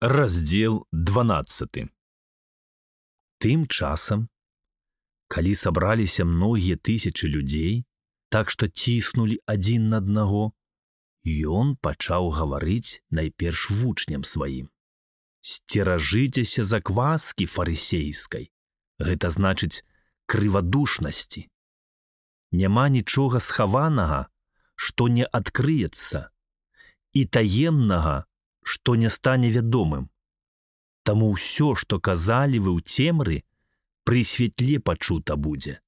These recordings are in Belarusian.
Раздзел 12. Тым часам, калі сабраліся многія тысячы людзей, так што ціснулі адзін на аднаго, ён пачаў гаварыць найперш вучням сваім. Сцеражыцеся закваскі фарысейскай, гэта значыць крывадушнасці. Няма нічога схаванага, што не адкрыецца, і таемнага, што не стане вядомым. Таму ўсё, што казалі вы ў цемры, пры святле пачута будзе.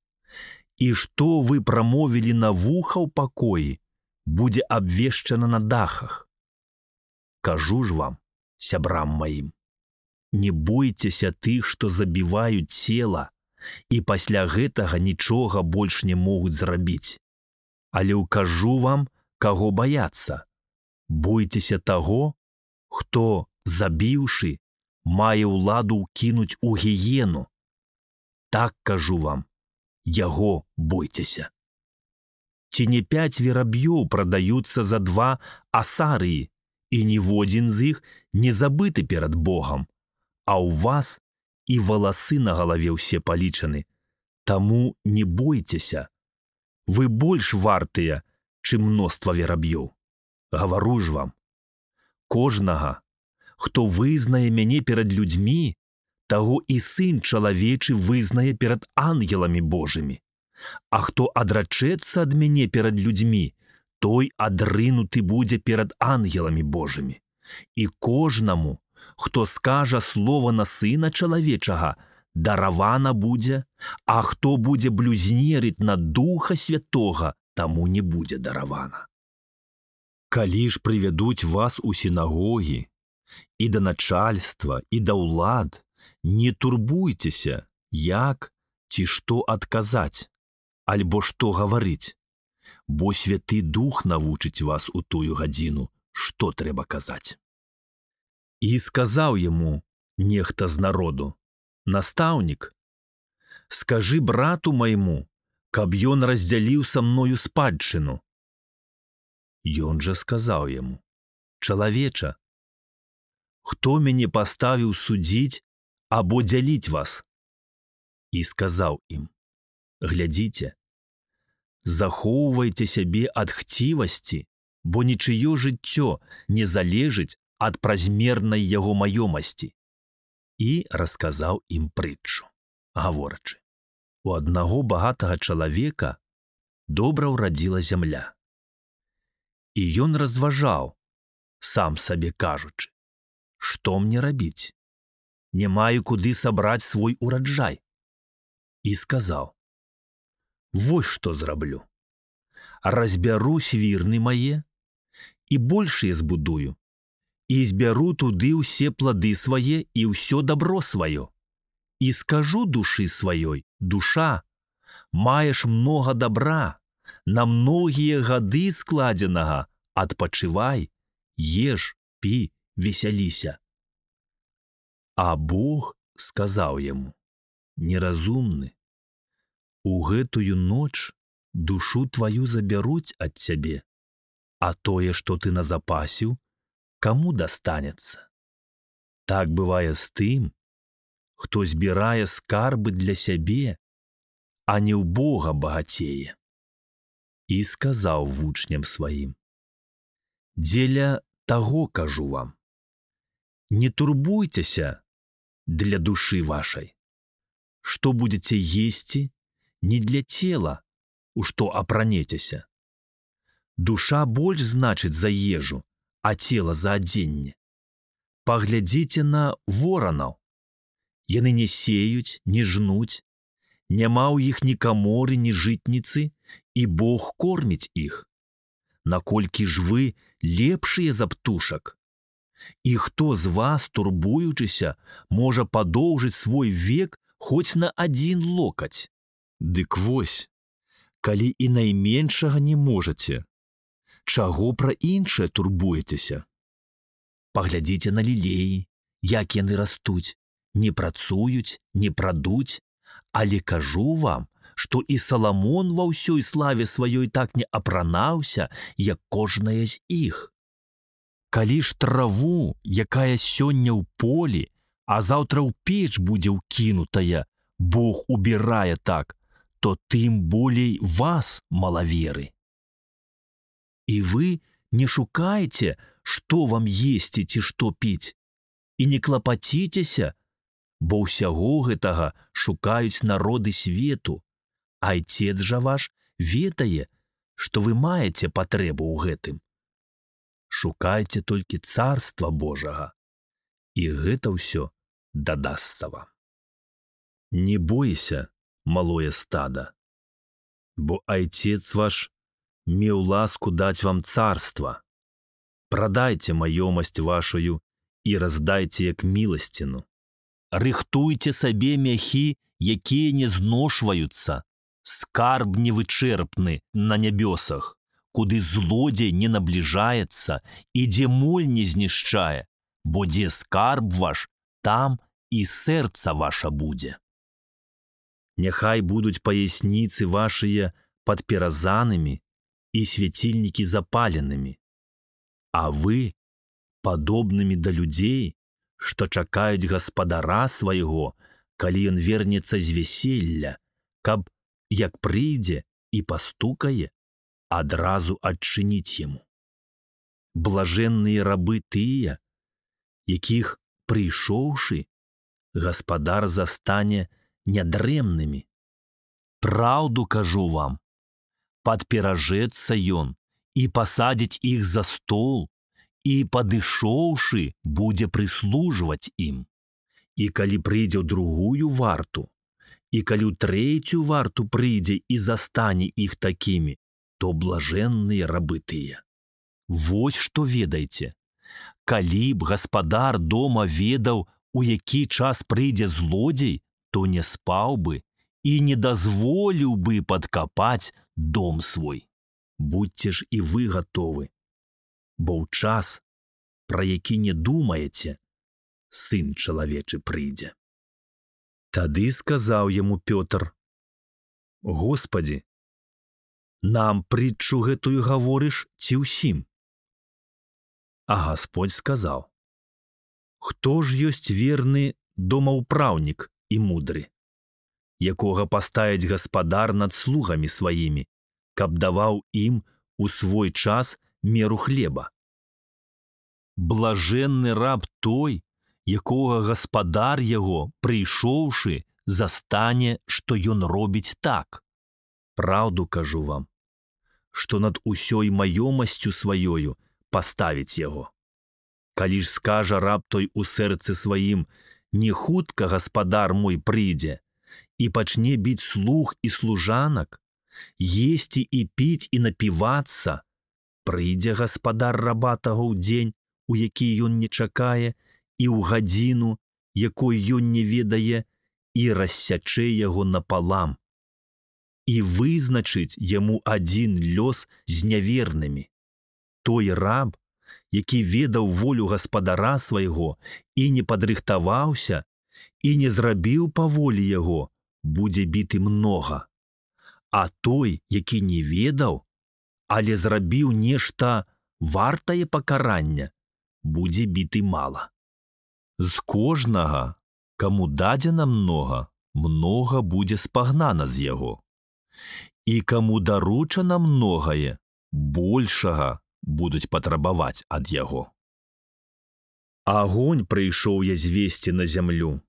І што вы прамовілі на вуха ў пакоі, будзе абвешчана на дахах. Кажу ж вам, сябрам маім, не бойцеся тых, што забіваюць цела, і пасля гэтага нічога больш не могуць зрабіць. Але ўкажу вам, каго баяцца. Бойцеся таго, хто, забіўшы, мае ўладу ўкінуць у гіену. Так кажу вам, яго бойцеся. Ці не 5 вераб'ёў прадаюцца за 2 асарыі, і ніводзін з іх не забыты перад Богам, а ў вас і валасы на галаве ўсе палічаны. Таму не бойцеся. Вы больш вартыя, чым мноства вераб'ёў. Гавару ж вам, кожнага, хто вызнае мяне перад людзьмі, таго і сын чалавечы вызнае перад ангеламі Божымі. А хто адрачэцца ад мяне перад людзьмі, той адрынуты будзе перад ангеламі Божымі. І кожнаму, хто скажа слова на сына чалавечага, даравана будзе, а хто будзе блюзнерыць на Духа Святога, таму не будзе даравана. Калі ж прывядуць вас у сінагогі, і да начальства, і да ўлад, не турбуйцеся, як ці што адказаць, альбо што гаварыць, бо Святы Дух навучыць вас у тую гадзіну, што трэба казаць. І сказаў яму нехта з народу: «Настаўнік, скажы брату майму, каб ён раздзяліў са мною спадчыну». Ён жа сказаў яму: «Чалавеча, хто мяне паставіў судзіць або дзяліць вас?» І сказаў ім: «Глядзіце, захоўвайце сябе ад хцівасці, бо нічыё жыццё не залежыць ад празмернай яго маёмасці». І расказаў ім прытчу, гаворачы: «У аднаго багатага чалавека добра ўрадзіла зямля. І ён разважаў, сам сабе кажучы: што мне рабіць? Не маю куды сабраць свой ураджай». І сказаў: «Вось што зраблю. Разбяру свірны мае і большыя збудую, і збяру туды ўсе плады свае і ўсё дабро сваё. І скажу душы сваёй: душа, маеш многа дабра, на многія гады складзенага, адпачывай, еш, пі, весяліся». А Бог сказаў яму: «Неразумны, у гэтую ноч душу тваю забяруць ад цябе, а тое, што ты назапасіў, каму дастанецца? Так бывае з тым, хто збірае скарбы для сябе, а не ў Бога багацее». І сказаў вучням сваім: «Дзеля таго кажу вам, не турбуйцеся для душы вашай, што будзеце есці, не для цела, у што апранецеся. Душа больш значыць за ежу, а цела за адзенне. Паглядзіце на воранаў. Яны не сеюць, не жнуць, няма ў іх ні каморы, ні жытніцы, і Бог корміць іх. Наколькі ж вы лепшыя за птушак? І хто з вас, турбуючыся, можа падоўжыць свой век хоць на 1 локаць? Дык вось, калі і найменшага не можаце, чаго пра іншае турбуецеся? Паглядзіце на лілеі, як яны растуць, не працуюць, не прадуць, але кажу вам, што і Саламон ва ўсёй славе сваёй так не апранаўся, як кожная з іх. Калі ж траву, якая сёння ў полі, а заўтра ў печ будзе ўкінутая, Бог убірае так, то тым болей вас, малаверы. І вы не шукайце, што вам есці ці што піць, і не клапаціцеся, бо ўсяго гэтага шукаюць народы свету, а Айцец жа ваш ведае, што вы маеце патрэбу ў гэтым. Шукайце толькі царства Божага, і гэта ўсё дадасца вам. Не бойся, малое стада, бо Айцец ваш меў ласку даць вам царства. Прадайце маёмасць вашую і раздайце як міласціну. Рыхтуйце сабе мяхі, якія не зношваюцца, скарб невычэрпны на нябёсах, куды злодзей не набліжаецца і дзе моль не знішчае, бо дзе скарб ваш, там і сэрца ваша будзе. Няхай будуць паясніцы вашыя падперазанымі і свяцільнікі запаленымі, а вы падобнымі да людзей, што чакаюць гаспадара свайго, калі ён вернецца з вяселля, каб, як прыйдзе і пастукае, адразу адчыніць яму. Блажэнныя рабы тыя, якіх, прыйшоўшы, гаспадар застане нядрэмнымі. Праўду кажу вам, падперажэцца ён і пасадзіць іх за стол, і, падышоўшы, будзе прыслужваць ім. І калі прыйдзе ў другую варту, і калі ў трэцюю варту прыйдзе і застане іх такімі, то блажэнныя рабы тыя. Вось што ведайце. Калі б гаспадар дома ведаў, у які час прыйдзе злодзей, то не спаў бы і не дазволіў бы падкапаць дом свой. Будьце ж і вы гатовы, бо ў час, пра які не думаеце, Сын чалавечы прыйдзе. Тады сказаў яму Пётр: Господі, нам прытчу гэтую гаворыш ці ўсім? А Гасподзь сказаў: Хто ж ёсць верны домаўпраўнік і мудры, якога паставіць гаспадар над слугамі сваімі, каб даваў ім у свой час меру хлеба? Блажэнны раб той, якога гаспадар яго, прыйшоўшы, застане, што ён робіць так. Праўду кажу вам, што над усёй маёмасцю сваёю паставіць яго. Калі ж скажа раб той у сэрцы сваім: не хутка гаспадар мой прыйдзе, і пачне біць слуг і служанак, есці і піць і напівацца, прыйдзе гаспадар раба таго ў дзень, у які ён не чакае, і ў гадзіну, якой ён не ведае, і рассячэ яго напалам, і вызначыць яму адзін лёс з нявернымі. Той раб, які ведаў волю гаспадара свайго і не падрыхтаваўся, і не зрабіў па волі яго, будзе біты многа. А той, які не ведаў, але зрабіў нешта вартае пакарання, будзе біты мала. З кожнага, каму дадзена многа, многа будзе спагнана з яго. І каму даручана многае, большага будуць патрабаваць ад яго. Агонь прыйшоў я звесці на зямлю,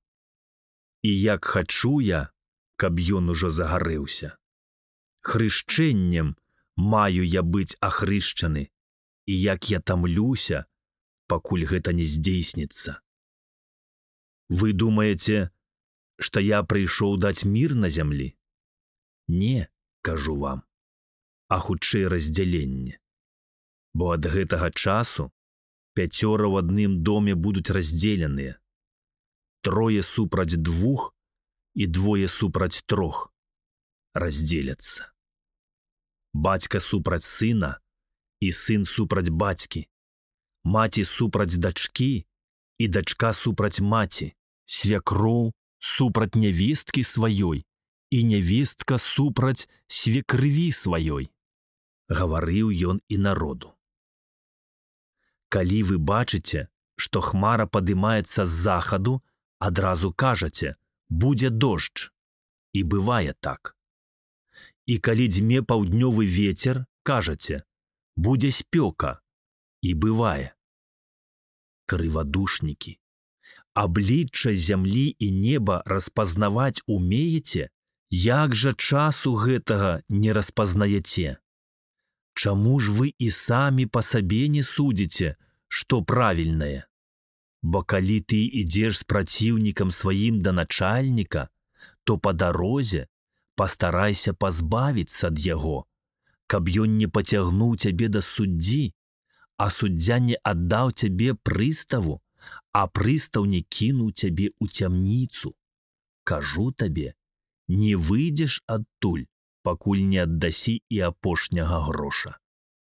і як хачу я, каб ён ужо загарэўся. Хрышчэннем маю я быць ахрышчаны, і як я тамлюся, пакуль гэта не здзейсніцца. Вы думаеце, што я прыйшоў даць мір на зямлі? Не, кажу вам, а хутчэй раздзяленне. Бо ад гэтага часу 5 ў адным доме будуць раздзеленыя, 3 супраць 2 і 2 супраць 3 раздзеляцца. Бацька супраць сына і сын супраць бацькі, маці супраць дачкі і дачка супраць маці, свякроў супраць нявесткі сваёй і нявестка супраць свекрыві сваёй. Гаварыў ён і народу. Калі вы бачыце, што хмара падымаецца з захаду, адразу кажаце: будзе дождж. І бывае так. І калі дзьме паўднёвы вецер, кажаце: будзе спёка. І бывае. Крывадушнікі, аблічча зямлі і неба распазнаваць умееце? Як жа часу гэтага не распазнаяце? Чаму ж вы і самі па сабе не судзіце, што правільнае? Бо калі ты ідзеш з праціўнікам сваім да начальніка, то па дарозе пастарайся пазбавіцца ад яго, каб ён не пацягнуў цябе да суддзі, а суддзя не аддаў цябе прыставу, а прыстаў не кінуў цябе ў цямніцу. Кажу табе, не выйдзеш адтуль, пакуль не аддасі і апошняга гроша.